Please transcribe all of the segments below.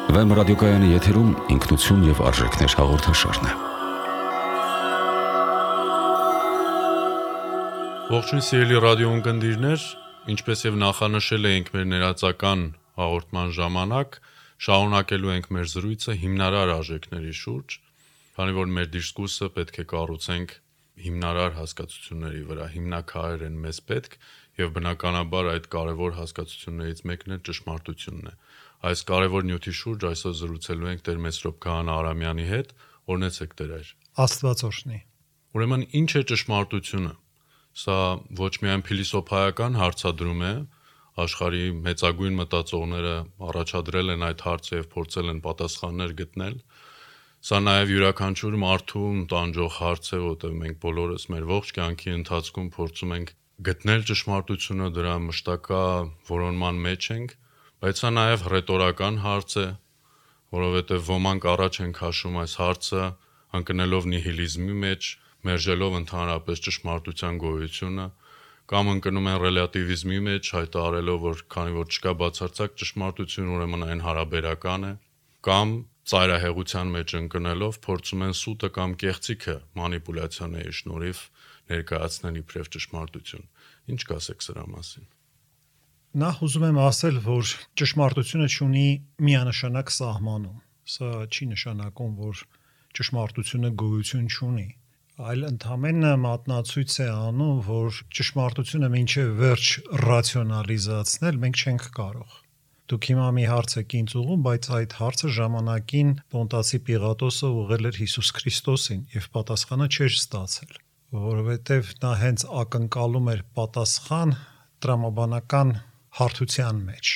Վեմ ռադիոկայանի եթերում ինքնություն և արժեքներ հաղորդաշարն է։ Ողջույն սիրելի ռադիոընկերներ, ինչպես եւ նախանշել էինք մեր ներածական հաղորդման ժամանակ, շարունակելու ենք մեր զրույցը հիմնարար արժեքների շուրջ, քանի որ մեր դիսկուրսը պետք է կառուցենք հիմնարար հասկացությունների վրա, հիմնաքարեր են մեզ պետք եւ բնականաբար այդ կարևոր հասկացություններից մեկն է ճշմարտությունն է։ Այս կարևոր նյութի շուրջ այսօր զրուցելու ենք Տեր Մեսրոպ Քահանա Արամյանի հետ, օրհնեցեք Տեր այր։ Աստված օրհնի։ Ուրեմն ինչ է ճշմարտությունը։ Սա ոչ միայն փիլիսոփայական հարցադրում է, աշխարհի մեծագույն մտածողները առաջադրել են այդ հարցը եւ փորձել են պատասխաններ գտնել։ Սա նաև յուրաքանչյուր մարդու տանջող հարց է, որտեղ մենք բոլորս մեր ողջ կյանքի ընթացքում փորձում ենք գտնել ճշմարտությունը, դրա մշտական որոնման մեջ ենք, բայց սա նաև ռետորական հարց է, որովհետև ոմանք առաջ են քաշում այս հարցը, ընկնելով նիհիլիզմի մեջ, մերժելով ընդհանրապես ճշմարտության գոյությունը, կամ ընկնում են ռելատիվիզմի մեջ, հայտարարելով, որ քանի որ չկա բացարձակ ճշմարտություն, ուրեմն այն հարաբերական է, կամ ծայրահեղության մեջ ընկնելով փորձում են սուտը կամ կեղծիքը մանիպուլյացիաների շնորհիվ ներկայացնել իբրև ճշմարտություն։ Ինչ կասեք սրա մասին։ Նախ ուզում եմ ասել, որ ճշմարտությունը ունի միանշանակ սահմանում։ Սա չի նշանակում, որ ճշմարտությունը գոյություն չունի, այլ ընդհանրապես մատնացույց է անում, որ ճշմարտությունը մինչև վերջ ռացիոնալիզացնել մենք չենք կարող։ Դուք հիմա մի հարց եք ինձ ուղղում, բայց այդ հարցը ժամանակին Պոնտացի Պիղատոսը ուղղել էր Հիսուս Քրիստոսին եւ պատասխանը չէր ստացել, որովհետեւ նա հենց ակնկալում էր պատասխան տրամաբանական հարթության մեջ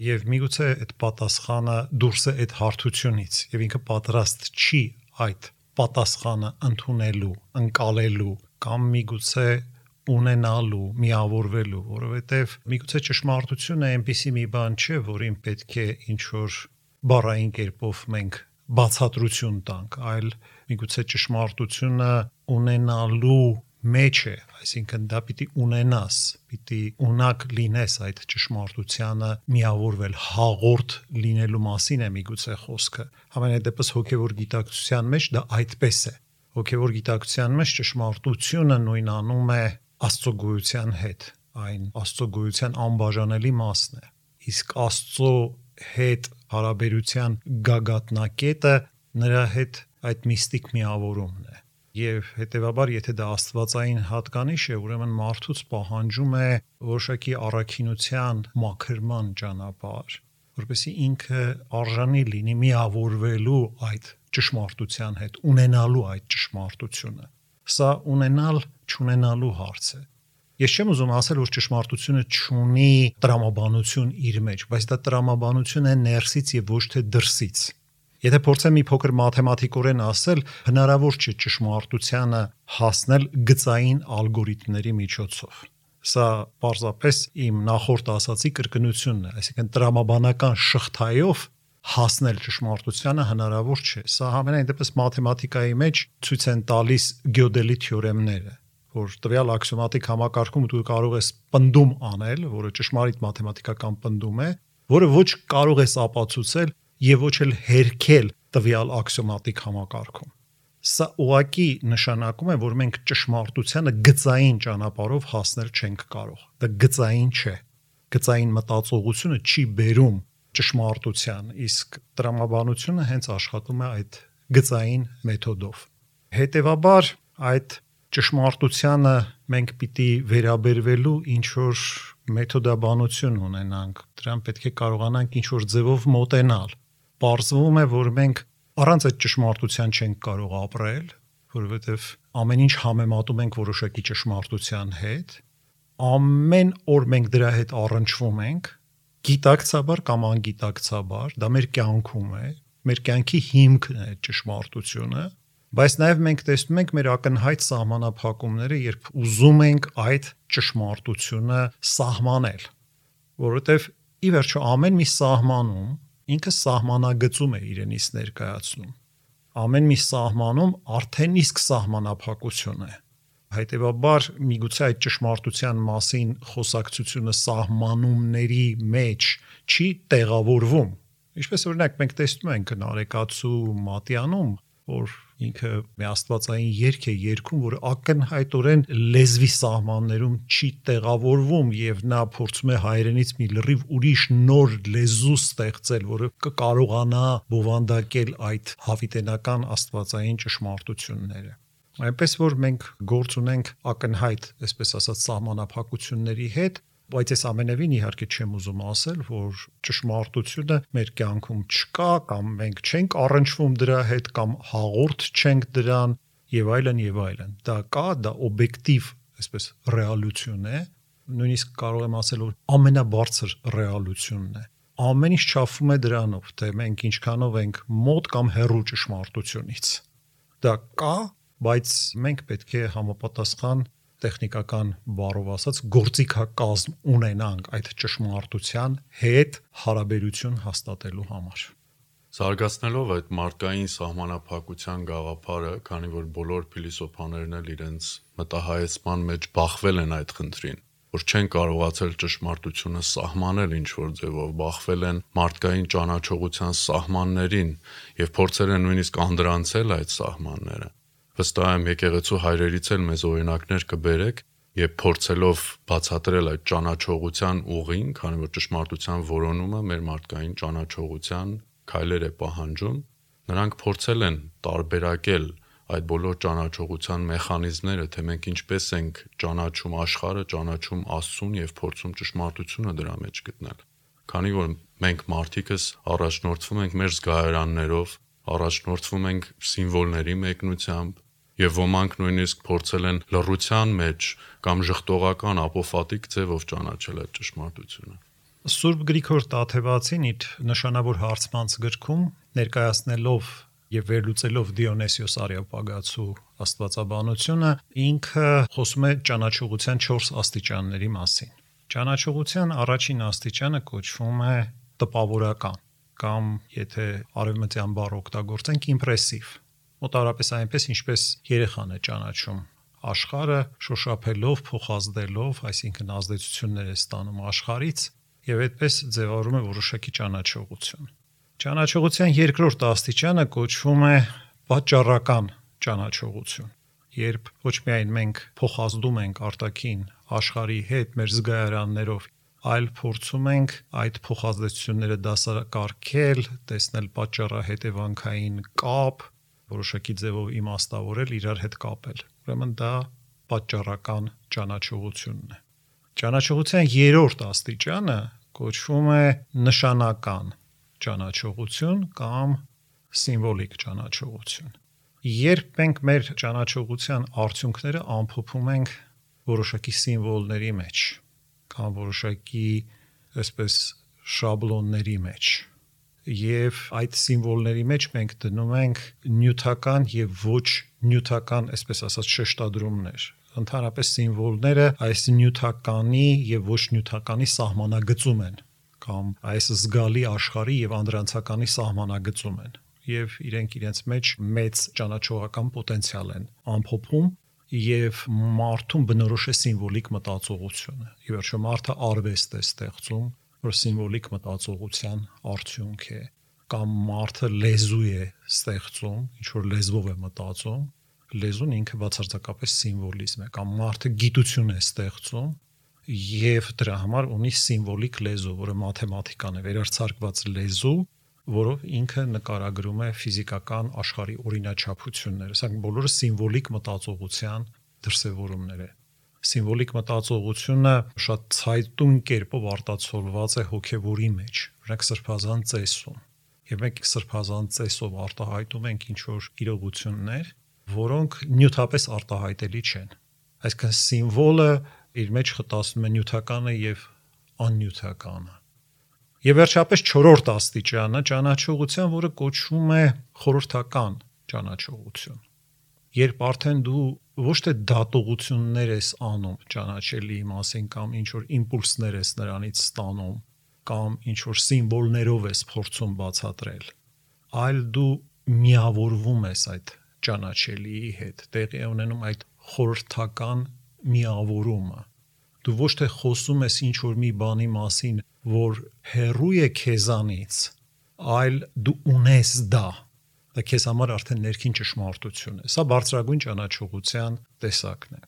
եւ միգուցե այդ պատասխանը դուրս է այդ հարթությունից եւ ինքը պատրաստ չի այդ պատասխանը ընդունելու, ընկալելու կամ միգուցե ունենալու, միավորվելու, որովհետև միգուցե ճշմարտությունը այնպիսի մի բան չէ, որին պետք է ինչ-որ բառային կերպով մենք բացատրություն տանք, այլ միգուցե ճշմարտությունը ունենալու մեջ է, այսինքն դա պիտի ունենաս, պիտի ունակ լինես այդ ճշմարտությանը միավորվել, հաղորդ լինելու մասին է միգուցե խոսքը։ Համենայն դեպս հոգևոր գիտակցության մեջ դա այդպես է։ Հոգևոր գիտակցության մեջ ճշմարտությունը նույնանում է Աստծո գոյության հետ, այն Աստծո գոյության անբաժանելի մասն է։ Իսկ Աստծո հետ հարաբերության գագաթնակետը նրա հետ այդ միստիկ միավորումն է։ Եվ հետևաբար, եթե դա աստվածային հատկանիշ է, ուրեմն մարդուց պահանջում է որոշակի առաքինության մաքրման ճանապարհ, որպեսզի ինքը արժանի լինի միավորվելու այդ ճշմարտության հետ, ունենալու այդ ճշմարտությունը։ Սա ունենալ չունենալու հարց է։ Ես չեմ ուզում ասել, որ ճշմարտությունը չունի տրամաբանություն իր մեջ, բայց դա տրամաբանություն է ներսից եւ ոչ թե դրսից։ Եթե փորձեմ մի փոքր մաթեմատիկորեն ասել, հնարավոր չէ ճշմարտությանը հասնել գծային ալգորիթմների միջոցով։ Սա պարզապես իմ նախորդ ասացի կրկնությունն է, այսինքն տրամաբանական շղթայով հասնել ճշմարտությանը հնարավոր չէ։ Սա համենայն դեպս մաթեմատիկայի մեջ ցույց են տալիս Գյոդելի թեորեմները, որ տվյալ աքսիոմատիկ համակարգում դու կարող ես պնդում անել, որը ճշմարիտ մաթեմատիկական պնդում է, որը ոչ կարող ես ապացուցել եւ ոչ էլ հերքել տվյալ աքսիոմատիկ համակարգում։ Սա ուղղակի նշանակում է, որ մենք ճշմարտությանը գծային ճանապարհով հասնել չենք կարող։ Դա գծային չէ։ Գծային մտածողությունը չի բերում ճշմարտության, իսկ տրամաբանությունը հենց աշխատում է այդ գծային մեթոդով։ Հետևաբար այդ ճշմարտությանը մենք պիտի վերաբերվելու ինչ-որ մեթոդաբանություն ունենանք, դրան պետք է կարողանանք ինչ-որ ձևով մոտենալ։ Պարզվում է, որ մենք առանց այդ ճշմարտության չենք կարող ապրել, որովհետև ամեն ինչ համեմատում ենք որոշակի ճշմարտության հետ, ամեն օր մենք դրա հետ առնչվում ենք, գիտակցաբար կամ անգիտակցաբար, դա մեր կյանքում է, մեր կյանքի հիմքն է ճշմարտությունը, բայց նաև մենք տեսնում ենք մեր ակնհայտ սահմանափակումները, երբ ուզում ենք այդ ճշմարտությունը սահմանել, որովհետև ի վերջո ամեն մի սահմանում ինքը սահմանագծում է իրենից ներկայացնում։ Ամեն մի սահմանում արդեն իսկ սահմանափակություն է։ Հետևաբար միգուցե այդ ճշմարտության մասին խոսակցությունը սահմանումների մեջ չի տեղավորվում, Ինչպես օրինակ մենք տեսնում ենք Նարեկացու Մատյանում, որ ինքը մի աստվածային երգ է երգում, որ ակնհայտորեն լեզվի սահմաններում չի տեղավորվում եւ նա փորձում է հայերենից մի լրիվ ուրիշ նոր լեզու ստեղծել, որը կկարողանա բովանդակել այդ հավիտենական աստվածային ճշմարտությունները։ Այնպես որ մենք գործ ունենք ակնհայտ, այսպես ասած, սահմանափակությունների հետ, բայց այս ամենևին իհարկե չեմ ուզում ասել, որ ճշմարտությունը մեր կյանքում չկա կամ մենք չենք առնչվում դրա հետ կամ հաղորդ չենք դրան եւ այլն եւ այլն։ Դա կա, դա օբյեկտիվ, այսպես ռեալություն է, նույնիսկ կարող եմ ասել, որ ամենաբարձր ռեալությունն է։ Ամեն ինչ չափվում է դրանով, թե մենք ինչքանով ենք մոտ կամ հեռու ճշմարտությունից։ Դա կա, բայց մենք պետք է համապատասխան տեխնիկական բառով ասած գործիքակազմ ունենանք այդ ճշմարտության հետ հարաբերություն հաստատելու համար։ Զարգացնելով այդ մարդկային սահմանափակության գաղափարը, քանի որ բոլոր փիլիսոփաներն էլ իրենց մտահայեցման մեջ բախվել են այդ խնդրին, որ չեն կարողացել ճշմարտությունը սահմանել ինչ-որ ձևով, բախվել են մարդկային ճանաչողության սահմաններին եւ փորձել են նույնիսկ անդրանցել այդ սահմանները։ Վստահ եմ եկեղեցու հայրերից էլ մեզ օրինակներ կբերեք, եւ փորձելով բացատրել այդ ճանաչողության ուղին, քանի որ ճշմարտության որոնումը մեր մարդկային ճանաչողության քայլեր է պահանջում, նրանք փորձել են տարբերակել այդ բոլոր ճանաչողության մեխանիզմները, թե մենք ինչպես ենք ճանաչում աշխարհը, ճանաչում Աստծուն եւ փորձում ճշմարտությունը դրա մեջ գտնել։ Քանի որ մենք մարդիկս առաջնորդվում ենք մեր զգայարաններով, առաջնորդվում ենք սիմվոլների մեկնությամբ, եւ ոմանք նույնիսկ փորձել են լռության մեջ կամ ժխտողական ապոֆատիկ ձևով ճանաչել այդ ճշմարտությունը։ Սուրբ Գրիգոր Տաթևացին իր նշանավոր հարցմանց գրքում ներկայացնելով եւ վերլուծելով Դիոնեսիոս Արեոպագացու աստվածաբանությունը, ինքը խոսում է ճանաչողության 4 աստիճանների մասին։ Ճանաչողության առաջին աստիճանը կոչվում է տպավորական կամ եթե արևմտյան բառ օգտագործենք իմպրեսիվ։ Մոտավորապես այնպես, ինչպես երեխան է ճանաչում աշխարհը, շոշափելով, փոխազդելով, այսինքն ազդեցություններ է ստանում աշխարհից եւ այդպես ձևավորում է որոշակի ճանաչողություն։ Ճանաչողության երկրորդ աստիճանը կոչվում է պատճառական ճանաչողություն, երբ ոչ միայն մենք փոխազդում ենք արտաքին աշխարհի հետ մեր զգայարաններով, այլ փորձում ենք այդ փոխազդեցությունները դասակարգել, տեսնել պատճառահետևանքային կապ, որոշակի ձևով իմաստավորել, իրար հետ կապել։ Ուրեմն դա պատճառական ճանաչողությունն է։ Ճանաչողության երրորդ աստիճանը կոչվում է նշանական ճանաչողություն կամ սիմվոլիկ ճանաչողություն։ Երբ մենք մեր ճանաչողության արդյունքները ամփոփում ենք որոշակի սիմվոլների մեջ կամ որոշակի այսպես շաբլոնների մեջ, եւ այդ սիմվոլների մեջ մենք դնում ենք նյութական եւ ոչ նյութական, այսպես ասած, շեշտադրումներ։ Ընդհանրապես սիմվոլները այս նյութականի եւ ոչ նյութականի սահմանագծում են կամ այս զգալի աշխարհի եւ անդրանցականի սահմանագծում են եւ իրենք իրենց մեջ մեծ ճանաչողական պոտենցիալ են ամփոփում եւ մարդուն բնորոշ է սիմվոլիկ մտածողությունը։ Ի վերջո մարդը արվեստ է ստեղծում, որ սիմվոլիկ մտածողության արդյունք է, կամ մարդը լեզու է ստեղծում, ինչ որ լեզվով է մտածում, լեզուն ինքը բացարձակապես սիմվոլիզմ է, կամ մարդը գիտություն է ստեղծում եւ դրա համար ունի սիմվոլիկ լեզու, որը մաթեմատիկան է, վերարձակված լեզու, որով ինքը նկարագրում է ֆիզիկական աշխարհի օրինաչափությունները։ Սրանք բոլորը սիմվոլիկ մտածողության դրսևորումներ են։ Սիմվոլիկ մտածողությունը շատ ցայտուն կերպով արտացոլված է հոգևորի մեջ, օրինակ սրբազան ծեսում։ Եվ մենք սրբազան ծեսով արտահայտում ենք ինչ-որ իրողություններ, որոնք նյութապես արտահայտելի չեն։ Այսինքն սիմվոլը իր մեջ խտացնում է նյութականը եւ աննյութականը։ Եվ վերջապես չորրորդ աստիճանը ճանաչողության, որը կոչվում է խորհրդական ճանաչողություն։ Երբ արդեն դու ոչ թե դատողություններ ես անում ճանաչելի մասին կամ ինչ որ իմպուլսներ ես նրանից ստանում կամ ինչ որ սիմվոլներով ես փորձում բացատրել, այլ դու միավորվում ես այդ ճանաչելիի հետ, տեղի է ունենում այդ խորհրդական միավորումը։ Դու ոչ թե խոսում ես ինչ որ մի բանի մասին, որ հեռու է քեզանից, այլ դու ունես դա։ Դա քեզ համար արդեն ներքին ճշմարտություն է։ Սա բարձրագույն ճանաչողության տեսակն է։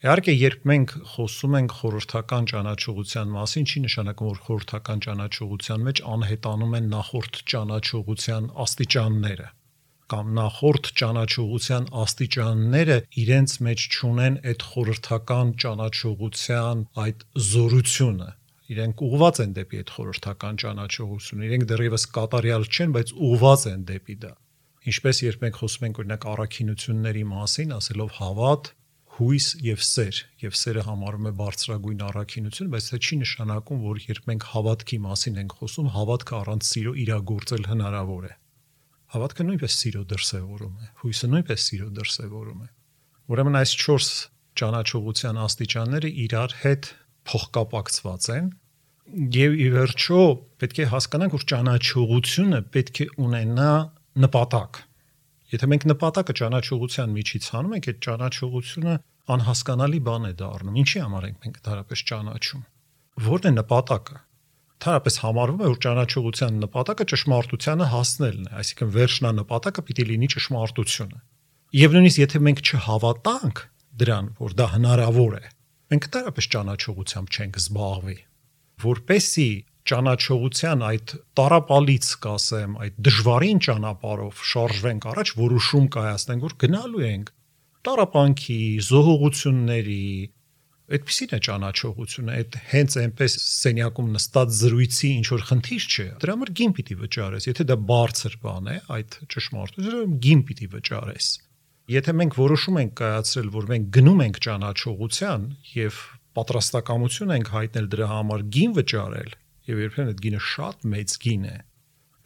Իհարկե, երբ մենք խոսում ենք խորհրդական ճանաչողության մասին, չի նշանակում, որ խորհրդական ճանաչողության մեջ անհետանում են նախորդ ճանաչողության աստիճանները, կամ նախորդ ճանաչողության աստիճանները իրենց մեջ չունեն այդ խորհրդական ճանաչողության այդ զորությունը։ Իրենք ուղղված են դեպի այդ խորհրդական ճանաչողություն, իրենք դեռևս կատարյալ չեն, բայց ուղղված են դեպի դա։ Ինչպես երբ մենք խոսում ենք օրինակ առաքինությունների մասին, ասելով հավատ, հույս եւ սերը համարում է բարձրագույն առաքինություն, բայց դա չի նշանակում, որ երբ մենք հավատքի մասին ենք խոսում, հավատքը առանց սիրո իրագործել հնարավոր է։ Հավատքը նույնպես սիրո դրսևորում է, հույսը նույնպես սիրո դրսևորում է։ Ուրեմն այս 4 ճանաչողության աստիճանները իրար հետ փոխկապակցված են, եւ ի վերջո պետք է հասկանանք, որ ճանաչողությունը պետք է ունենա նպատակ։ Եթե մենք նպատակը ճանաչողության միջից հանում ենք, այդ ճանաչողությունը անհասկանալի բան է դառնում։ Ինչի համար ենք մենք դարապես ճանաչում։ Որն է նպատակը։ Դարապես համարվում է, որ ճանաչողության նպատակը ճշմարտությանը հասնելն է, այսինքն վերջնանպատակը պիտի լինի ճշմարտությունը։ Եվ նույնիսկ եթե մենք չհավատանք դրան, որ դա հնարավոր է, մենք դարապես ճանաչողությամբ չենք զբաղվի, որպեսզի ճանաչողության այդ տարապալից, կասեմ, այդ դժվարին ճանապարհով շարժվենք առաջ, որոշում կայացնենք, որ գնալու ենք տարապանքի, զոհողությունների, այդպիսին է ճանաչողությունը, այդ հենց այնպես սենյակում նստած զրույցի ինչ որ խնդիր չէ, դրա համար գին պիտի վճարես, եթե դա բարձր բան է, այդ ճշմարտությունը գին պիտի վճարես։ Եթե մենք որոշում ենք կայացրել, որ մենք գնում ենք ճանաչողության եւ պատրաստակամություն ենք հայտնել դրա համար գին վճարել, եւ երբեմն այդ գինը շատ մեծ գին է,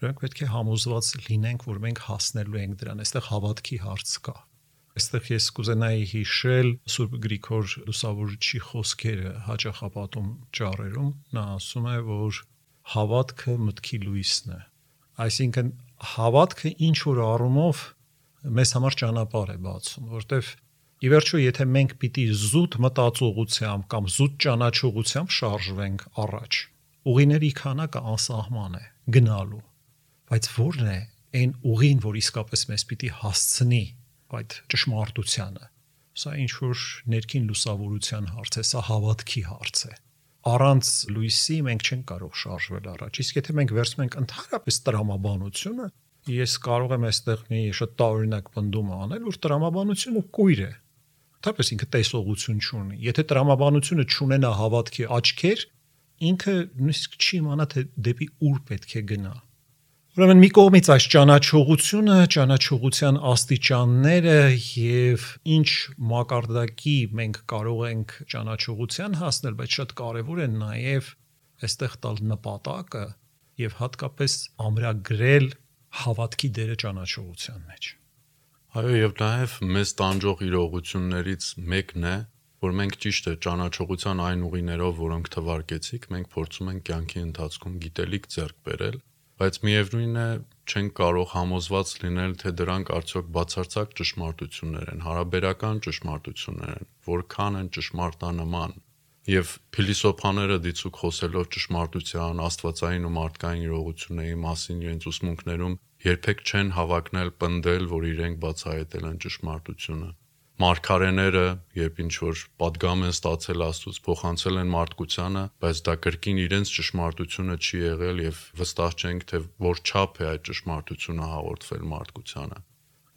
մենք պետք է համոզված լինենք, որ մենք հասնելու ենք դրան, այստեղ հավատքի հարց կա։ Այստեղ ես կուզենայի հիշել Սուրբ Գրիգոր Լուսավորչի խոսքերը հաճախապատում ճառերում, նա ասում է, որ հավատքը մտքի լույսն է։ Այսինքն հավատքը ինչ որ առումով մեզ համար ճանապարհ է բացում, որտեվ ի վերջո եթե մենք պիտի զուտ մտածողությամբ կամ զուտ ճանաչողությամբ շարժվենք առաջ, ուղիների քանակը անսահման է գնալու, բայց ո՞րն է այն ուղին, որ իսկապես մեզ պիտի հասցնի այդ ճշմարտությանը։ Սա ինչ որ ներքին լուսավորության հարց է, սա հավատքի հարց է։ Առանց լույսի մենք չենք կարող շարժվել առաջ։ Իսկ եթե մենք վերցնում ենք ընդհանրապես տրամաբանությունը, ես կարող եմ այստեղ մի շատ տարօրինակ պնդում անել, որ տրամաբանությունը կույր է։ Թեպետ ինքը տեսողություն չունի։ Եթե տրամաբանությունը չունենա հավատքի աչքեր, ինքը նույնիսկ չի իմանա թե դեպի ուր պետք է գնա։ Ուրեմն մի կողմից այս ճանաչողությունը, ճանաչողության աստիճանները եւ ինչ մակարդակի մենք կարող ենք ճանաչողության հասնել, բայց շատ կարեւոր է նաեւ այստեղ տալ նպատակը եւ հատկապես ամրագրել հավատքի դերը ճանաչողության մեջ։ Այո, եւ նաեւ մեզ տանջող իրողություններից մեկն է, որ մենք ճիշտ է ճանաչողության այն ուղիներով, որոնք թվարկեցիք, մենք փորձում ենք կյանքի ընթացքում գիտելիք ձեռք բերել, բայց միևնույն է չենք կարող համոզված լինել, թե դրանք արդյոք բացարձակ ճշմարտություններ են, հարաբերական ճշմարտություններ են, որքան են ճշմարտանման։ Եվ փիլիսոփաները դիցուք խոսելով ճշմարտության, աստվածային ու մարդկային իրողությունների մասին իրենց ուսմունքներում երբեք չեն հավակնել պնդել, որ իրենք բացահայտել են ճշմարտությունը։ Մարգարեները, երբ ինչ-որ պատգամ են ստացել Աստծուց, փոխանցել են մարդկությանը, բայց դա կրկին իրենց ճշմարտությունը չի եղել եւ վստահ չենք, թե որ չափ է այդ ճշմարտությունը հաղորդվել մարդկությանը։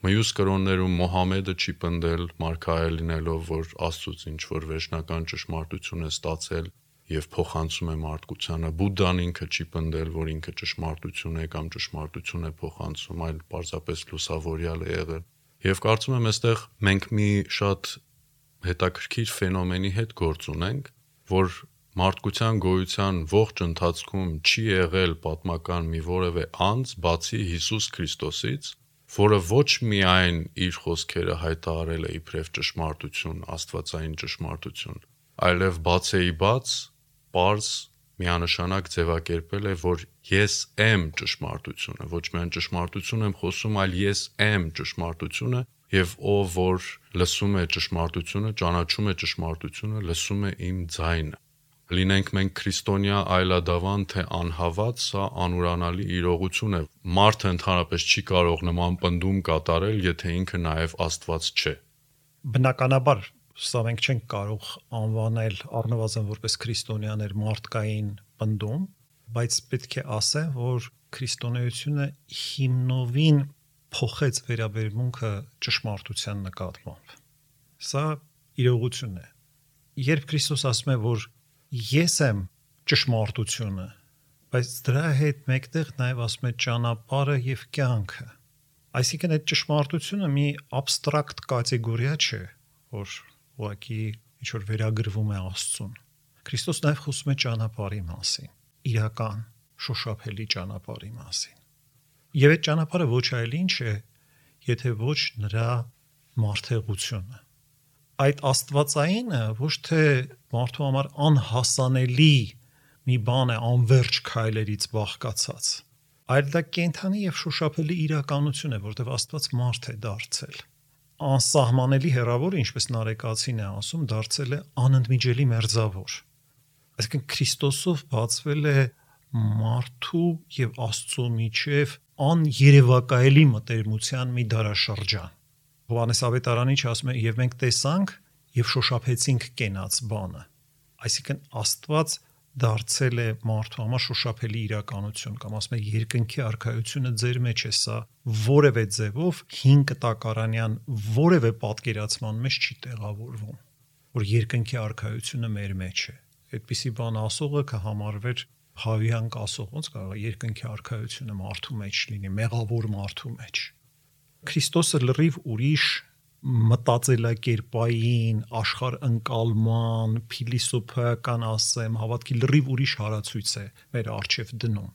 Մյուս կրոններում Մոհամեդը չի պնդել մարգարե լինելով, որ Աստծուց ինչ-որ վերջնական ճշմարտություն է ստացել եւ փոխանցում է մարդկությանը։ Բուդդան ինքը չի պնդել, որ ինքը ճշմարտություն է կամ ճշմարտություն է փոխանցում, այլ պարզապես լուսավորյալ է եղել։ Եվ կարծում եմ, այստեղ մենք մի շատ հետաքրքիր ֆենոմենի հետ գործ ունենք, որ մարդկության գոյության ողջ ընթացքում չի եղել պատմական մի որևէ անձ, բացի Հիսուս Քրիստոսից, որը ոչ միայն իր խոսքերը հայտարարել է իբրև ճշմարտություն, աստվածային ճշմարտություն, այլև բացեիբաց, պարզ, միանշանակ ձևակերպել է, որ ես եմ ճշմարտությունը, ոչ միայն ճշմարտություն եմ խոսում, այլ ես եմ ճշմարտությունը, եւ ով որ լսում է ճշմարտությունը, ճանաչում է ճշմարտությունը, լսում է իմ ձայնը։ Լինենք մենք քրիստոնյա այլադավան թե անհավատ, սա անուրանալի իրողություն է։ Մարդը ընդհանրապես չի կարող նման պնդում կատարել, եթե ինքը նաև Աստված չէ։ Բնականաբար սա մենք չենք կարող անվանել առնվազն որպես քրիստոնյաներ մարդկային պնդում, բայց պետք է ասեմ, որ քրիստոնեությունը հիմնովին փոխեց վերաբերմունքը ճշմարտության նկատմամբ։ Սա իրողություն է։ Երբ Քրիստոս ասում է, որ ես եմ ճշմարտությունը, բայց դրա հետ մեկտեղ նաև ասում է ճանապարհը եւ կյանքը։ Այսինքն այդ ճշմարտությունը մի абստրակտ կատեգորիա չէ, որ ուղղակի ինչ որ վերագրվում է Աստծուն։ Քրիստոս նաև խոսում է ճանապարհի մասին, իրական, շոշափելի ճանապարհի մասին։ Եվ այդ ճանապարհը ոչ այլ ինչ է, եթե ոչ նրա մարդեղությունը։ Այդ աստվածայինը ոչ թե մարդու համար անհասանելի մի բան է անverջ քայլերից բաղկացած, այլ դա կենթանի եւ շոշափելի իրականություն է, որտեղ Աստված մարդ է դարձել։ Անսահմանելի հեռավոր, ինչպես Նարեկացին է ասում, դարձել է անընդմիջելի մերձավոր։ Այսինքն Քրիստոսով բացվել է մարդու եւ Աստծո միջև աներևակայելի մտերմության մի դարաշրջան։ Հովհաննես Ավետարանիչ ասում է, եւ մենք տեսանք եւ շոշափեցինք կենաց բանը։ Այսինքն Աստված դարձել է մարդու համար շոշափելի իրականություն, կամ ասում է երկնքի արքայությունը ձեր մեջ է, սա որևէ ձևով 5 տակարանյան որևէ պատկերացման մեջ չի տեղավորվում, որ երկնքի արքայությունը մեր մեջ է։ Այդպիսի բան ասողը կհամարվեր հավիանք ասող, ոնց կարող է երկնքի արքայությունը մարդու մեջ լինի, մեղավոր մարդու մեջ։ Քրիստոսը լրիվ ուրիշ մտածելակերպային, աշխարհընկալման, փիլիսոփայական ասեմ, հավատքի լրիվ ուրիշ հարացույց է մեր առջև դնում։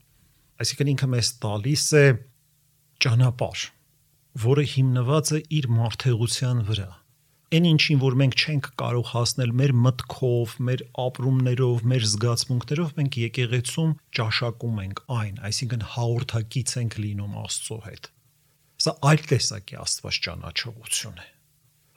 Այսինքն ինքը մեզ տալիս է ճանապարհ, որը հիմնված է իր մարդեղության վրա։ Այն ինչին, որ մենք չենք կարող հասնել մեր մտքով, մեր ապրումներով, մեր զգացմունքներով, մենք եկեղեցում ճաշակում ենք այն, այսինքն հաղորդակից ենք լինում Աստծո հետ։ Սա այլ տեսակի Աստված ճանաչողություն է։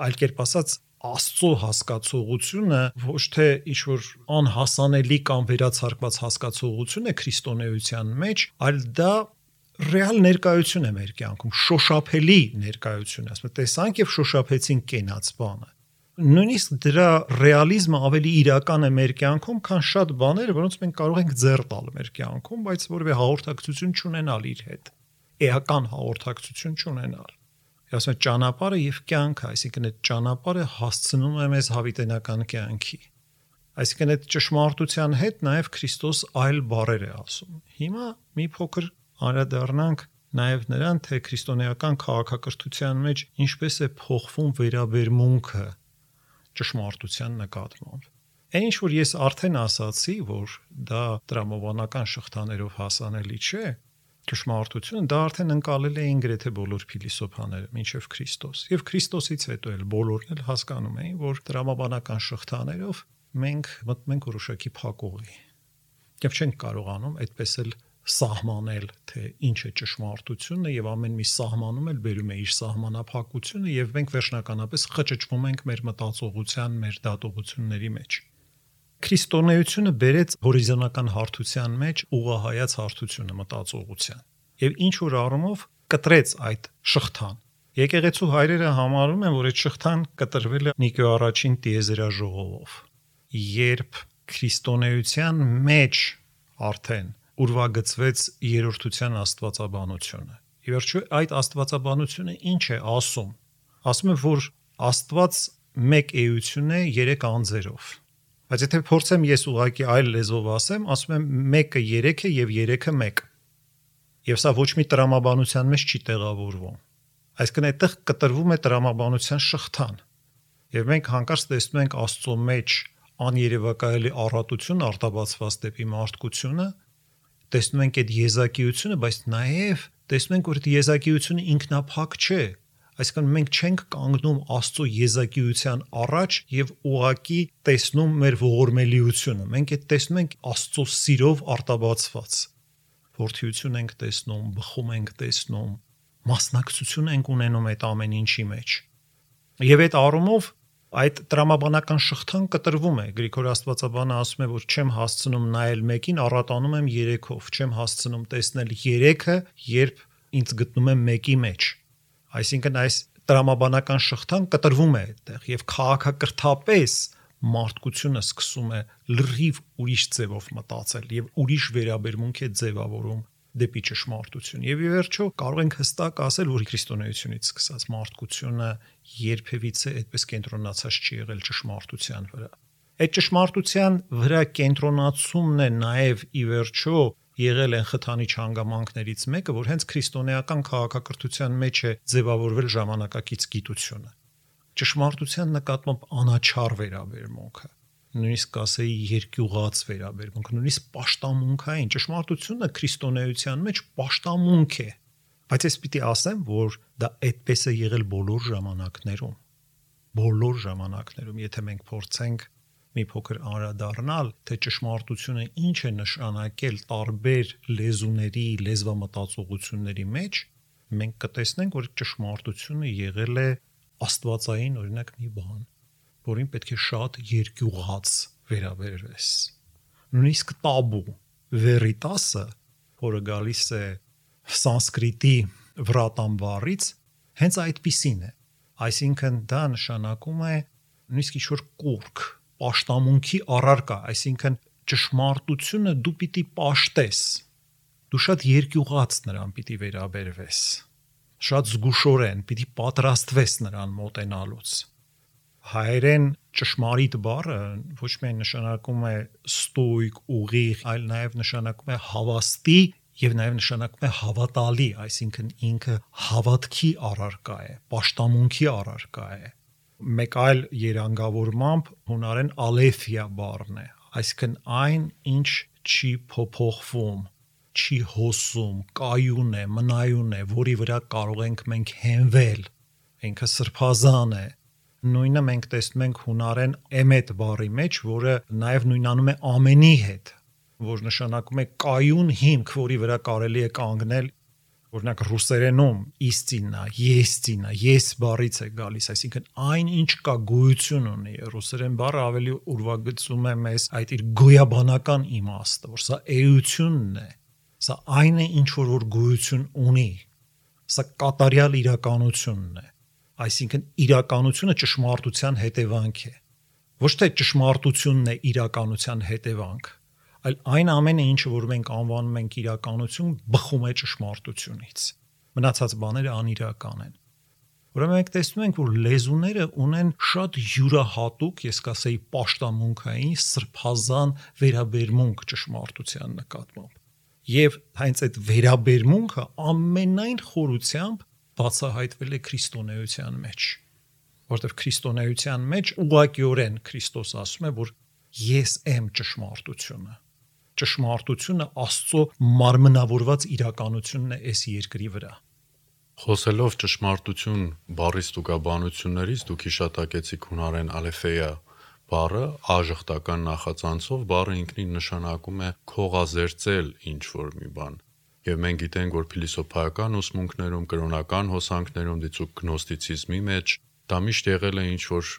Այլ կերպ ասած, Աստծո հասկացողությունը ոչ թե ինչ-որ անհասանելի կամ վերացարկված հասկացողություն է քրիստոնեության մեջ, այլ դա ռեալ ներկայություն է մեր կյանքում, շոշափելի ներկայություն է, ասում եմ, տեսանք եւ շոշափեցինք կենաց բանը։ Նույնիսկ դրա ռեալիզմը ավելի իրական է մեր կյանքում, քան շատ բաներ, որոնց մենք կարող ենք ձեռ տալ մեր կյանքում, բայց որևէ հաղորդակցություն չունենալ իր հետ, էական հաղորդակցություն չունենալ։ Ասում եմ, ճանապարհը եւ կյանքը, այսինքն այդ ճանապարհը հասցնում է մեզ հավիտենական կյանքի։ Այսինքն այդ ճշմարտության հետ նաեւ Քրիստոս այլ բառեր է ասում։ Հիմա մի փոքր անդրադառնանք նաև նրան, թե քրիստոնեական քաղաքակրթության մեջ ինչպես է փոխվում վերաբերմունքը ճշմարտության նկատմամբ։ Այն ինչ որ ես արդեն ասացի, որ դա տրամաբանական շղթաներով հասանելի չէ, ճշմարտությունը դա արդեն ընկալել էին գրեթե բոլոր փիլիսոփաները, մինչև Քրիստոս։ Եվ Քրիստոսից հետո էլ բոլորն էլ հասկանում էին, որ տրամաբանական շղթաներով մենք մտնում ենք որոշակի փակուղի։ Եվ չենք կարողանում այդպես էլ սահմանել, թե ինչ է ճշմարտությունը, եւ ամեն մի սահմանում էլ բերում է իր սահմանափակությունը, եւ մենք վերջնականապես խճճվում ենք մեր մտածողության, մեր դատողությունների մեջ։ Քրիստոնեությունը բերեց հորիզոնական հարթության մեջ ուղղահայաց հարթությունը մտածողության եւ ինչ որ առումով կտրեց այդ շղթան։ Եկեղեցու հայրերը համարում են, որ այդ շղթան կտրվել է Նիկեո առաջին տիեզերաժողովով, երբ քրիստոնեության մեջ արդեն ուրվագծվեց երրորդության աստվածաբանությունը։ Ի վերջո այդ աստվածաբանությունը ինչ է ասում։ Ասում է, որ Աստված մեկ էություն է 3 անձերով։ Բայց եթե փորձեմ ես ուղղակի այլ լեզվով ասեմ, ասում եմ մեկը 3 է եւ 3-ը 1։ Եվ սա ոչ մի տրամաբանության մեջ չի տեղավորվում։ Այսինքն այդտեղ կտրվում է տրամաբանության շղթան։ Եվ մենք հանկարծ տեսնում ենք Աստծո մեջ աներևակայելի առատություն արտաբացված դեպի մարդկությունը, տեսնում ենք այդ եզակիությունը, բայց նաև տեսնում ենք, որ այդ եզակիությունը ինքնափակ չէ։ Այսինքն մենք չենք կանգնում Աստծո եզակիության առաջ եւ ուղակի տեսնում մեր ողորմելիությունը։ Մենք այդ տեսնում ենք Աստծո սիրով արտաբացված։ Որդիություն ենք տեսնում, բխում ենք տեսնում, մասնակցություն ենք ունենում այդ ամեն ինչի մեջ։ Եվ այդ առումով Այդ տրամաբանական շղթան կտրվում է։ Գրիգոր Աստվածաբանը ասում է, որ չեմ հասցնում նայել մեկին, առատանում եմ 3-ով, չեմ հասցնում տեսնել 3-ը, երբ ինձ գտնում եմ մեկի մեջ։ Այսինքն այս տրամաբանական շղթան կտրվում է այդտեղ եւ քաղաքակրթապես մարդկությունը սկսում է լրիվ ուրիշ ձևով մտածել եւ ուրիշ վերաբերմունք է ձևավորում դեպի ճշմարտություն։ Եվ ի վերջո կարող ենք հստակ ասել, որ քրիստոնեությունից սկսած մարդկությունը երբևիցե այդպես կենտրոնացած չի եղել ճշմարտության վրա։ Այդ ճշմարտության վրա կենտրոնացումն է նաև ի վերջո եղել են խթանիչ հանգամանքներից մեկը, որ հենց քրիստոնեական քաղաքակրթության մեջ է ձևավորվել ժամանակակից գիտությունը։ Ճշմարտության նկատմամբ անաչառ վերաբերմունքը, նույնիսկ կասեի երկյուղած վերաբերմունք, նույնիսկ պաշտամունքային ճշմարտությունը քրիստոնեության մեջ պաշտամունք է, բայց ես պիտի ասեմ, որ դա այդպես է եղել բոլոր ժամանակներում, եթե մենք փորձենք մի փոքր անդրադառնալ, թե ճշմարտությունը ինչ է նշանակել տարբեր լեզուների, լեզվամտածողությունների մեջ, մենք կտեսնենք, որ ճշմարտությունը եղել է աստվածային, օրինակ, մի բան, որին պետք է շատ երկյուղած վերաբերվես։ Նույնիսկ տաբու, վերիտասը, որը գալիս է սանսկրիտի վրատան բառից, հենց այդպիսին է։ Այսինքն դա նշանակում է նույնիսկ ինչ-որ կուրք, պաշտամունքի առարկա, այսինքն ճշմարտությունը դու պիտի պաշտես, դու շատ երկյուղած նրան պիտի վերաբերվես, շատ զգուշորեն պիտի պատրաստվես նրան մոտենալուց։ Հայերեն ճշմարիտ բառը ոչ միայն նշանակում է ստույգ, ուղիղ, այլ նաև նշանակում է հավաստի եւ նաև նշանակում է հավատալի, այսինքն ինքը հավատքի առարկա է, պաշտամունքի առարկա է։ Մեկ այլ երանգավորմամբ հունարեն ալեֆիա բառն է, այսինքն այն, ինչ չի փոփոխվում, չի հոսում, կայուն է, մնայուն է, որի վրա կարող ենք մենք հենվել, ինքը սրբազան է։ Նույնը մենք տեսնում ենք հունարեն էմետ բառի մեջ, որը նաև նույնանում է ամենի հետ, որ նշանակում է կայուն հիմք, որի վրա կարելի է կանգնել, օրինակ ռուսերենում իսtinա, եսtinա, ես բառից է գալիս, այսինքն այն ինչ կա գոյություն ունի, ռուսերեն բառը ավելի ուրվագծում է մեզ այդ իր գոյաբանական իմաստը, որ սա էությունն է, սա այն է, ինչ որ գոյություն ունի, սա կատարյալ իրականությունն է, այսինքն իրականությունը ճշմարտության հետևանք է, ոչ թե ճշմարտությունն է իրականության հետևանք, այլ այն ամենը, ինչը որ մենք անվանում ենք իրականություն, բխում է ճշմարտությունից, մնացած բաները անիրական են։ Ուրեմն մենք տեսնում ենք, որ լեզուները ունեն շատ յուրահատուկ, ես կասեի պաշտամունքային, սրբազան վերաբերմունք ճշմարտության նկատմամբ։ Եվ հենց այդ վերաբերմունքը ամենայն խորությամբ բացահայտվել է քրիստոնեության մեջ, որտեղ քրիստոնեության մեջ ուղղակիորեն Քրիստոս ասում է, որ ես եմ ճշմարտությունը։ Ճշմարտությունը Աստծո մարմնավորված իրականությունն է այս երկրի վրա։ Խոսելով ճշմարտություն բառից տուկաբանություններից, դուք հիշատակեցիք հունարեն ալեֆեյա բառը, աժխտական նախածանցով բառը ինքնին նշանակում է քողազերծել ինչ-որ մի բան։ Եվ մենք գիտենք, որ փիլիսոփայական ուսմունքներում, կրոնական հոսանքներում, դիցուք գնոստիցիզմի մեջ դա միշտ եղել է ինչ-որ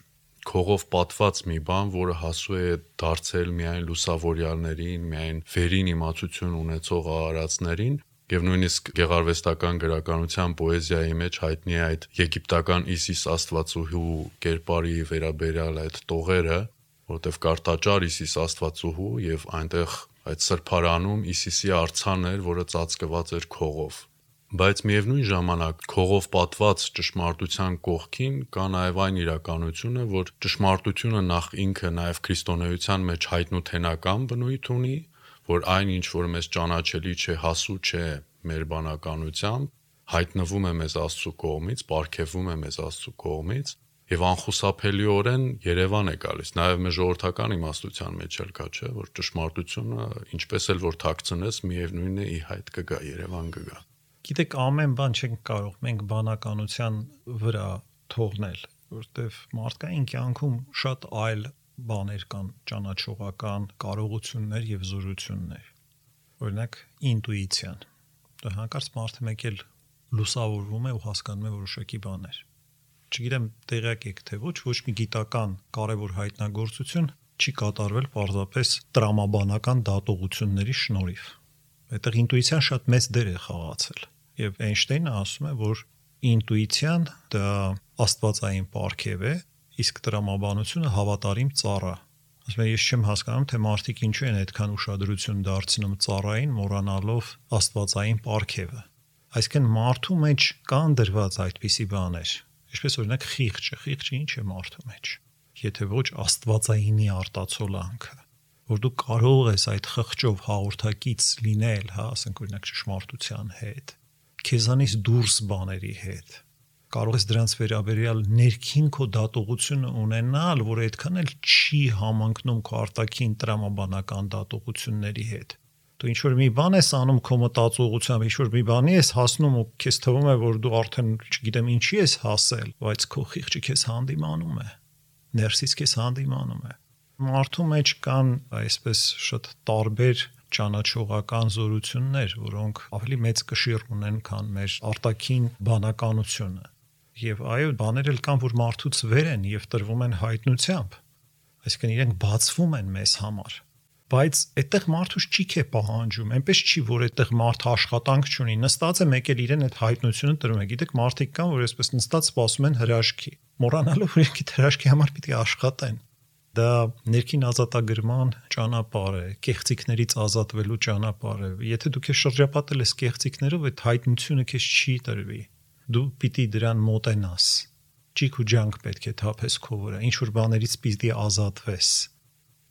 քողով պատված մի բան, որը հասու է դարձել միայն լուսավորյալներին, միայն վերին իմացություն ունեցող արարածներին, եւ նույնիսկ գեղարվեստական գրականության պոեզիայի մեջ հայտնի է այդ եգիպտական Իսիս աստվածուհու կերպարի վերաբերյալ այդ տողերը, որտեղ կարտաճար Իսիս աստվածուհու եւ այնտեղ այդ սրբարանում Իսիսի արձան էր, որը ծածկված էր քողով։ Բայց միևնույն ժամանակ քողով պատված ճշմարտության կողքին կա նաև այն իրականությունը, որ ճշմարտությունը նախ ինքը նաև քրիստոնեության մեջ հայտնութենական բնույթ ունի, որ այն ինչ որ մեզ ճանաչելի չէ, հասու չէ մեր բանականությամբ, հայտնվում է մեզ Աստծո կողմից, պարգևվում է մեզ Աստծո կողմից եւ անխուսափելիորեն Երևան է գալիս։ Նաեւ մեր ժողովրդական իմաստության մեջ էլ կա, չէ, որ ճշմարտությունը ինչպես էլ որ թաքցնես, միևնույնն է ի հայտ կգա, Երևան կգա։ Գիտեք, ամեն բան չենք կարող մենք բանականության վրա թողնել, որտեվ մարդկային կյանքում շատ այլ բաներ կան, ճանաչողական կարողություններ եւ զորություններ։ Օրինակ ինտուիցիան։ Դա հանկարծ մարդը մեկ էլ լուսավորվում է ու հասկանում է որոշակի բաներ։ չգիտեմ տեղյակ եք թե ոչ մի գիտական կարևոր հայտնագործություն չի կատարվել պարզապես տրամաբանական դատողությունների շնորհիվ։ Այդտեղ ինտուիցիան շատ մեծ դեր է խաղացել։ Եվ Էյնշտեյնը ասում է, որ ինտուիցիան դա աստվածային պարգև է, իսկ տրամաբանությունը հավատարիմ ծառա։ Ասում եմ, ես չեմ հասկանում, թե մարդիկ ինչու են այդքան ուշադրություն դարձնում ծառային, մոռանալով աստվածային պարգևը։ Այսինքն մարդու մեջ կան դրված այդպիսի բաներ, ինչպես օրինակ խիղճը ինչ է մարդու մեջ։ Եթե ոչ աստվածայինի արտացոլանքը, որ դու կարող ես այդ խղճով հաղորդակից լինել, ասենք օրինակ ճշմարտության հետ, քեզանից դուրս բաների հետ, կարող ես դրանց վերաբերյալ ներքին քո դատողությունը ունենալ, որ այդքան էլ չի համընկնում քո արտաքին տրամաբանական դատողությունների հետ։ Դու ինչ որ մի բան ես անում քո մտածողությամբ, ինչ որ մի բանի ես հասնում ու քեզ թվում է, որ դու արդեն չգիտեմ ինչի ես հասել, բայց քո խիղճը քեզ հանդիմանում է, ներսից քեզ հանդիմանում է։ Մարդու մեջ կան այսպես շատ տարբեր ճանաչողական զորություններ, որոնք ավելի մեծ կշիռ ունեն, քան մեր արտաքին բանականությունը։ Եվ այո, բաներ էլ կան, որ մարդուց վեր են եւ տրվում են հայտնությամբ, այսինքն իրենք բացվում են մեզ համար, բայց այդտեղ մարդուց ճիք է պահանջում, այնպես չի, որ այդտեղ մարդը աշխատանք չունի, նստած է մեկ էլ իրեն այդ հայտնությունը տրում է։ Գիտեք, մարդիկ կան, որ այսպես նստած սպասում են հրաշքի, մոռանալով որ իրենք հրաշքի համար պիտի աշխատեն։ Դա ներքին ազատագրման ճանապարհ է, կեղծիքներից ազատվելու ճանապարհ է։ Եթե դու քեզ շրջապատել ես կեղծիքներով, այդ հայտնությունը քեզ չի տրվի։ Դու պիտի դրան մոտենաս։ Ճիք ու ջանք պետք է թափես քո վրա, ինչ որ բաներից պիտի ազատվես։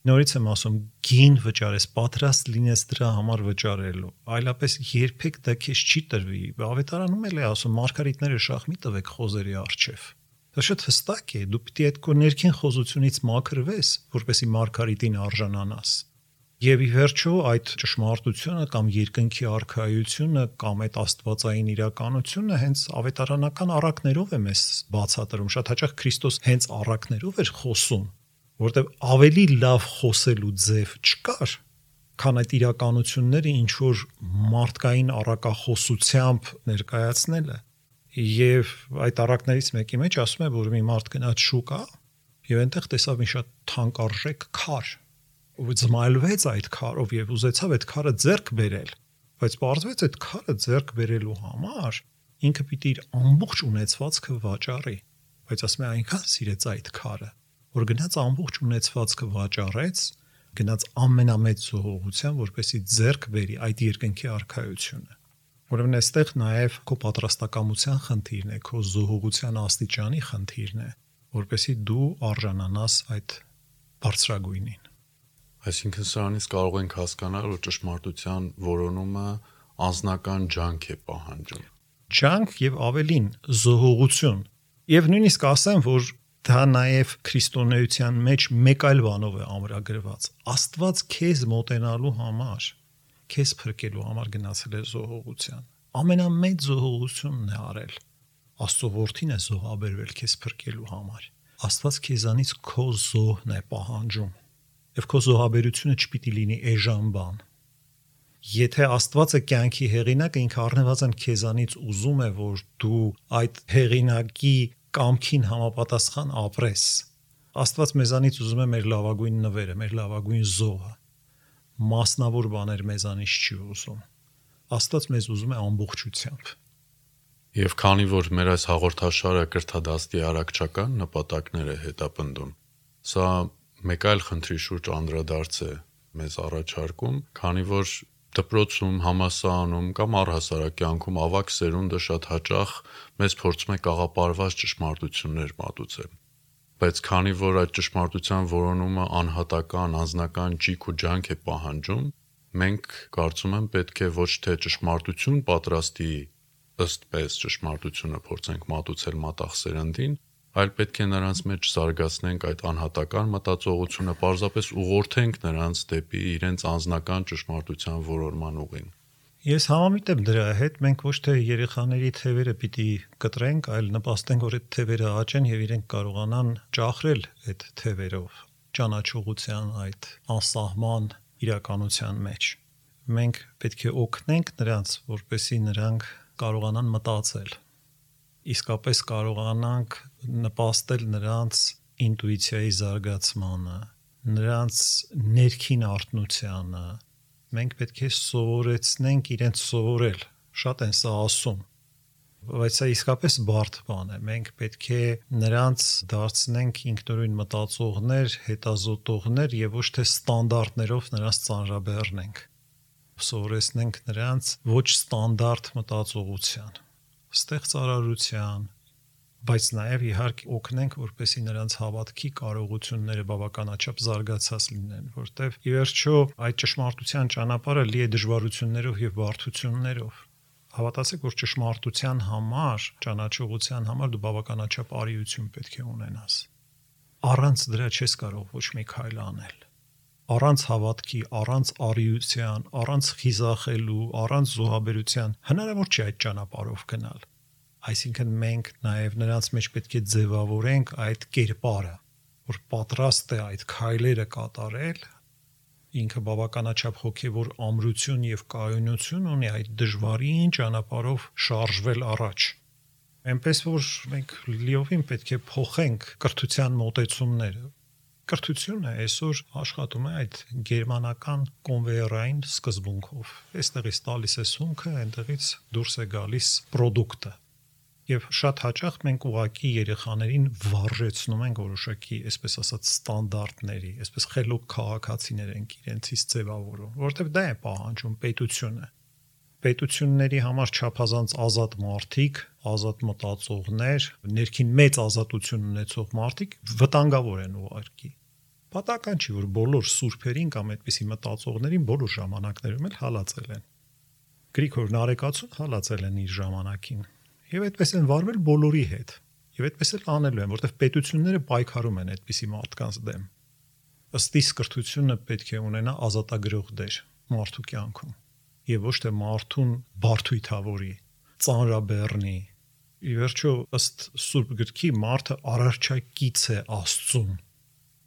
Նորից եմ ասում, գին վճարես, պատրաստ լինես դրա համար վճարելու, այլապես երբեք դա քեզ չի տրվի։ Ավետարանում էլ է ասում, մարգարիտները շախ մի տվեք խոզերի առջև։ Դա շատ հստակ է, դու պիտի այդ քո ներքին խոզությունից մաքրվես, որպեսզի մարգարիտին արժանանաս։ Եվ ի վերջո այդ ճշմարտությունը կամ երկնքի արքայությունը կամ այդ աստվածային իրականությունը հենց ավետարանական առակներով է մեզ բացատրում։ Շատ հաճախ Քրիստոս հենց առակներով էր խոսում, որտեղ ավելի լավ խոսելու ձև չկար, քան այդ իրականությունները ինչ որ մարդկային առակախոսությամբ ներկայացնելը։ Եվ այդ առակներից մեկի մեջ ասում է, որ մի մարդ գնաց շուկա եւ այնտեղ տեսավ մի շատ թանկարժեք քար, ու զմայլվեց այդ քարով եւ ուզեցավ այդ քարը ձեռք բերել, բայց պարզվեց այդ քարը ձեռք բերելու համար ինքը պիտի իր ամբողջ ունեցվածքը վաճառի, բայց ասում է այնքան սիրեց այդ քարը, որ գնաց ամբողջ ունեցվածքը վաճառեց, գնաց ամենամեծ զոհողության, որպեսզի ձեռք բերի այդ երկնքի արքայությունը։ Ուրեմն այստեղ նաև քո պատրաստակամության խնդիրն է, քո զոհողության աստիճանի խնդիրն է, որպեսզի դու արժանանաս այդ բարձրագույնին։ Այսինքն սրանից կարող ենք հասկանալ, որ ճշմարտության որոնումը անձնական ջանք է պահանջում։ Ջանք եւ ավելին զոհողություն։ Եվ նույնիսկ ասեմ, որ դա նաև քրիստոնեության մեջ մեկ այլ բանով է ամրագրված։ Աստված քեզ մոտենալու համար, քեզ փրկելու համար գնացել է զոհողության։ Ամենամեծ զոհողությունն է արել։ Աստծո որդին է զոհաբերվել քեզ փրկելու համար։ Աստված քեզանից քո զոհն է պահանջում։ Եվ քո զոհաբերությունը չպիտի լինի էժան բան։ Եթե Աստվածը կյանքի հեղինակը, ինքը առնվազն քեզանից ուզում է, որ դու այդ հեղինակի կամքին համապատասխան ապրես։ Աստված մեզանից ուզում է մեր լավագույն նվերը, մեր լավագույն զոհը։ Մասնավոր բաներ մեզանից չի ուզում։ Աստված մեզ ուզում է ամբողջությամբ։ Եվ քանի որ մեր այս հաղորդաշարը կրթադաստի առաքչական նպատակներ է հետապնդում, սա մեկ այլ խնդրի շուրջ անդրադարձ է մեզ առաջարկում, քանի որ դպրոցում, համալսարանում կամ առհասարակ կյանքում ավագ սերունդը շատ հաճախ մեզ փորձում է կաղապարված ճշմարտություններ մատուցել։ Բայց քանի որ այդ ճշմարտության որոնումը անհատական, անձնական ճիք ու ջանք է պահանջում, մենք կարծում եմ պետք է ոչ թե ճշմարտություն պատրաստի ըստ պես ճշմարտությունը փորձենք մատուցել մատաղ սերնդին, այլ պետք է նրանց մեջ զարգացնենք այդ անհատական մտածողությունը, պարզապես ուղղորդենք նրանց դեպի իրենց անձնական ճշմարտության որոնման ուղին։ Ես համամիտ եմ դրա հետ, մենք ոչ թե երեխաների թևերը պիտի կտրենք, այլ նպաստենք, որ այդ թևերը աճեն եւ իրենք կարողանան ճախրել այդ թևերով ճանաչողության այդ անսահման իրականության մեջ։ Մենք պետք է օգնենք նրանց, որպեսզի նրանք կարողանան մտածել։ իսկապես կարողանանք նպաստել նրանց ինտուիցիայի զարգացմանը, նրանց ներքին արթնությանը, մենք պետք է սովորեցնենք իրենց սովորել, շատ են սա ասում, բայց սա իսկապես բարդ բան է, մենք պետք է նրանց դարձնենք ինքնուրույն մտածողներ, հետազոտողներ եւ ոչ թե ստանդարտներով նրանց ծանրաբեռնենք, սովորեցնենք նրանց ոչ ստանդարտ մտածողության, ստեղծարարության, բայց նաև իհարկե օգնենք, որպեսզի նրանց հավատքի կարողությունները բավականաչափ զարգացած լինեն, որտեղ ի վերջո այդ ճշմարտության ճանապարհը լի է դժվարություններով եւ բարդություններով։ Հավատացեք, որ ճշմարտության համար, ճանաչողության համար դու բավականաչափ արիություն պետք է ունենաս։ Առանց դրա չես կարող ոչ մի քայլ անել։ Առանց հավատքի, առանց արիության, առանց խիզախելու, առանց զոհաբերության հնարավոր չէ այդ ճանապարհով գնալ։ Այսինքն մենք նաև նրանց մեջ պետք է ձևավորենք այդ կերպարը, որ պատրաստ է այդ քայլերը կատարել, ինքը բավականաչափ հոգևոր ամրություն եւ կայունություն ունի այդ դժվարին ճանապարհով շարժվել առաջ։ Այնպես որ մենք լիովին պետք է փոխենք կրթության մոտեցումները։ Կրթությունը այսօր աշխատում է այդ գերմանական կոնվեյերային սկզբունքով։ Այստեղից տալիս է սունկը, այնտեղից դուրս է գալիս պրոդուկտը։ Եվ շատ հաճախ մենք ուղակի երեխաներին վարժեցնում ենք որոշակի, այսպես ասած, ստանդարտների, այսպես խելոք քաղաքացիներ ենք իրենցից ձևավորում, որովհետև դա է պահանջում պետությունը։ Պետությունների համար չափազանց ազատ մարդիկ, ազատ մտածողներ, ներքին մեծ ազատություն ունեցող մարդիկ վտանգավոր են ուղարկի։ Պատահական չի, որ բոլոր սուրբերին կամ այդպիսի մտածողներին բոլոր ժամանակներում էլ հալածել են։ Գրիգոր Նարեկացուն հալածել են իր ժամանակին։ Եվ այդպես են վարվել բոլորի հետ։ Եվ այդպես էլ անելու են, որտեղ պետությունները պայքարում են այդպիսի մարդկանց դեմ։ Ըստ իս կրթությունը պետք է ունենա ազատագրող դեր մարդու կյանքում։ Եվ ոչ թե մարդուն բարդույթավորի, ծանրաբեռնի։ Ի վերջո, ըստ Սուրբ գրքի մարդը արարչակից է Աստծուն։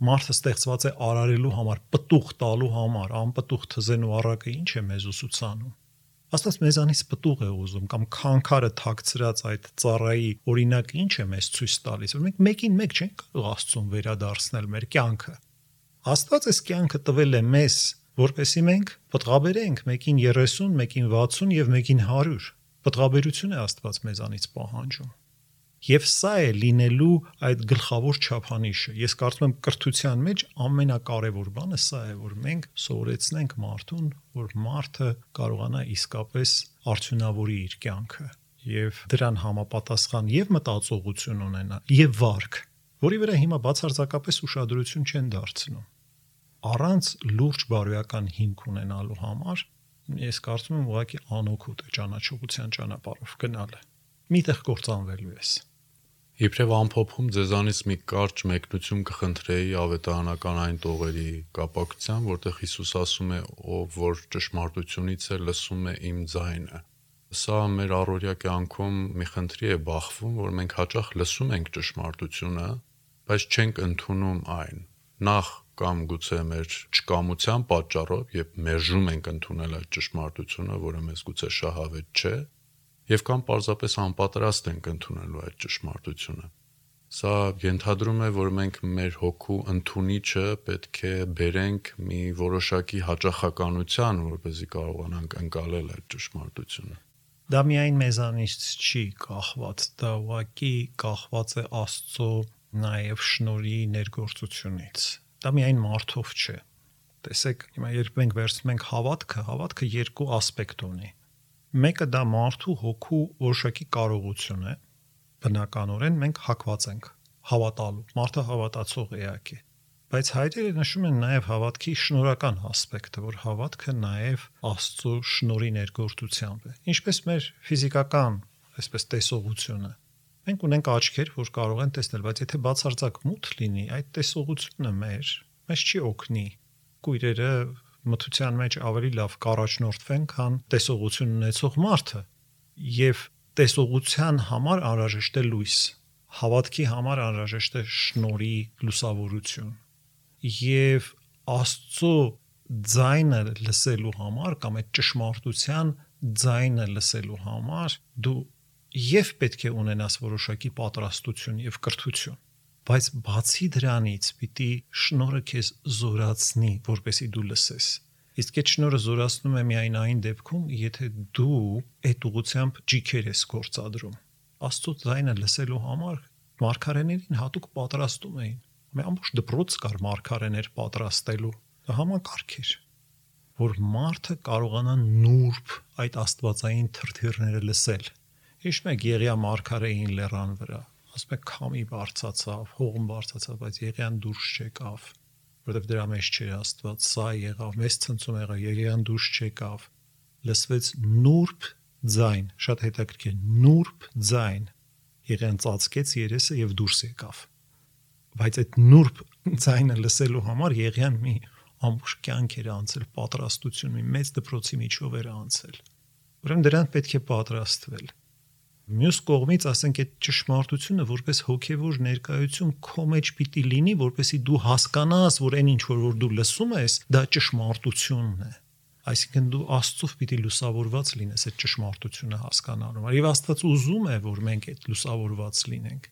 Մարդը ստեղծված է արարելու համար, պտուղ տալու համար, անպտուղ թզենու առակը ինչ է մեզ ուսուցանում։ Աստված մեզանից պտուղ է ուզում կամ քանքարը թաքցրած այդ ծառայի օրինակը ինչ է մեզ ցույց տալիս, որ մենք մեկին մեկ չենք կարող Աստծուն վերադարձնել մեր կյանքը։ Աստված այս կյանքը տվել է մեզ, որպեսզի մենք պտղաբերենք մեկին 30, մեկին 60 եւ մեկին 100։ Պտղաբերություն է Աստված մեզանից պահանջում։ Եվ սա է լինելու այդ գլխավոր չափանիշը։ Ես կարծում եմ կրթության մեջ ամենակարևոր բանը սա է, որ մենք սովորեցնենք մարդուն, որ մարդը կարողանա իսկապես արդյունավորի իր կյանքը եւ դրան համապատասխան եւ մտածողություն ունենա եւ վարք, որի վրա հիմա բացարձակապես ուշադրություն չեն դարձնում։ Առանց լուրջ բարոյական հիմք ունենալու համար ես կարծում եմ ուղղակի անօգուտ է ճանաչողության ճանապարհով գնալը։ Միտեղ կործանվելու ես։ Իբրև ամփոփում ձեզանից մի կարճ մեկնություն կխնդրեի ավետարանական այն տողերի կապակցությամբ, որտեղ Հիսուս ասում է, ով որ ճշմարտությունից է, լսում է իմ ձայնը։ Սա մեր առօրյա կյանքում մի խնդրի է բախվում, որ մենք հաճախ լսում ենք ճշմարտությունը, բայց չենք ընդունում այն։ Նախ կամ գուցե մեր չկամության պատճառով, երբ մերժում ենք ընդունել այդ ճշմարտությունը, որը մեզ գուցե շահավետ չէ, եւ կամ պարզապես անպատրաստ ենք ընդունելու այդ ճշմարտությունը։ Սա ենթադրում է, որ մենք մեր հոգու ընդունիչը պետք է բերենք մի որոշակի հաճախականության, որպեսզի կարողանանք ընկալել այդ ճշմարտությունը։ Դա միայն մեզանից չի կախված, դա ուղղակի կախված է Աստծո նաև շնորհի ներգործությունից։ Դա միայն մարդով չէ։ Տեսեք, հիմա երբ մենք վերցնում ենք հավատքը երկու ասպեկտ ունի։ Մեկը դա մարդու հոգու որոշակի կարողություն է, բնականորեն մենք հակված ենք հավատալու, մարդը հավատացող էակ է, բայց հայրերը նշում են նաև հավատքի շնորհական ասպեկտը, որ հավատքը նաև Աստծո շնորհի ներգործությամբ է, ինչպես մեր ֆիզիկական, այսպես տեսողությունը։ Մենք ունենք աչքեր, որ կարող են տեսնել, բայց եթե բացարձակ մութ լինի, այդ տեսողությունը մեզ չի օգնի։ Կույրերը մթության մեջ ավելի լավ կառաջնորդվեն, քան տեսողություն ունեցող մարդը, եւ տեսողության համար անհրաժեշտ է լույս, հավատքի համար անհրաժեշտ է շնորհի լուսավորություն, եւ Աստծո ձայնը լսելու համար կամ այդ ճշմարտության ձայնը լսելու համար դու եւ պետք է ունենաս որոշակի պատրաստություն եւ կրթություն, բայց բացի դրանից պիտի շնորհը քեզ զորացնի, որպեսզի դու լսես։ Իսկ այդ շնորհը զորացնում է միայն այն դեպքում, եթե դու այդ ուղղությամբ ջիքեր ես գործադրում։ Աստծո ձայնը լսելու համար մարգարեներին հատուկ պատրաստում էին։ Մի ամբողջ դպրոց կար մարգարեներ պատրաստելու։ Դա համակարգ էր, որ մարդը կարողանա նուրբ այդ աստվածային թրթիռները լսել։ Հիշում եք Եղիա մարգարեին լեռան վրա, ասում եք քամի բարձացավ, հողմ բարձացավ, բայց Եղիան դուրս չեկավ, որովհետև դրա մեջ չէր Աստված, սա եղավ, մեծ ցնցում եղավ, Եղիան դուրս չեկավ։ Լսվեց նուրբ ձայն, շատ հետաքրքիր, նուրբ ձայն։ Եղիան ծածկեց երեսը եւ դուրս եկավ։ Բայց այդ նուրբ ձայնը լսելու համար Եղիան մի ամբողջ կյանք էր անցել, պատրաստություն, մի մեծ դպրոցի միջով էր անցել։ Ուրեմն դրան պետք է պատրաստվել։ Մյուս կողմից, ասենք, այդ ճշմարտությունը որպես հոգևոր ներկայություն քո մեջ պիտի լինի, որպեսզի դու հասկանաս, որ այն ինչ որ դու լսում ես, դա ճշմարտությունն է։ Այսինքն դու Աստծով պիտի լուսավորված լինես այդ ճշմարտությունը հասկանալու։ Եվ Աստված ուզում է, որ մենք այդ լուսավորված լինենք։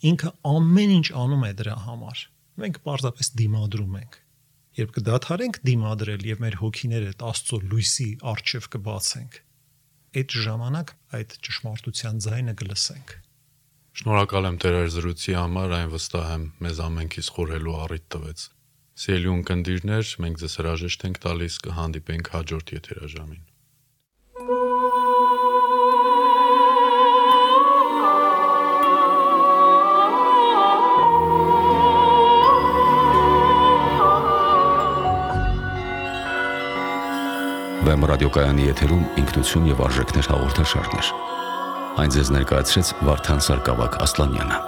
Ինքը ամեն ինչ անում է դրա համար։ Մենք պարզապես դիմադրում ենք։ Երբ կդադարենք դիմադրել եւ մեր հոգիները Աստծո լույսի առջև կբացենք, այդ ժամանակ այդ ճշմարտության ձայնը կլսենք։ Շնորհակալ եմ Տեր զրույցի համար, այն վստահ եմ մեզ ամենքից խորհելու առիթ տվեց։ Սիրելի ունկնդիրներ, մենք ձեզ հրաժեշտ ենք տալիս, կհանդիպենք հաջորդ եթերաժամին։ Վեմ ռադիոկայանի եթերում ինքնություն եւ արժեքներ հաղորդաշարներ։ Այն ձեզ ներկայացրեց Վարդան Սարգսակ Ասլանյանը։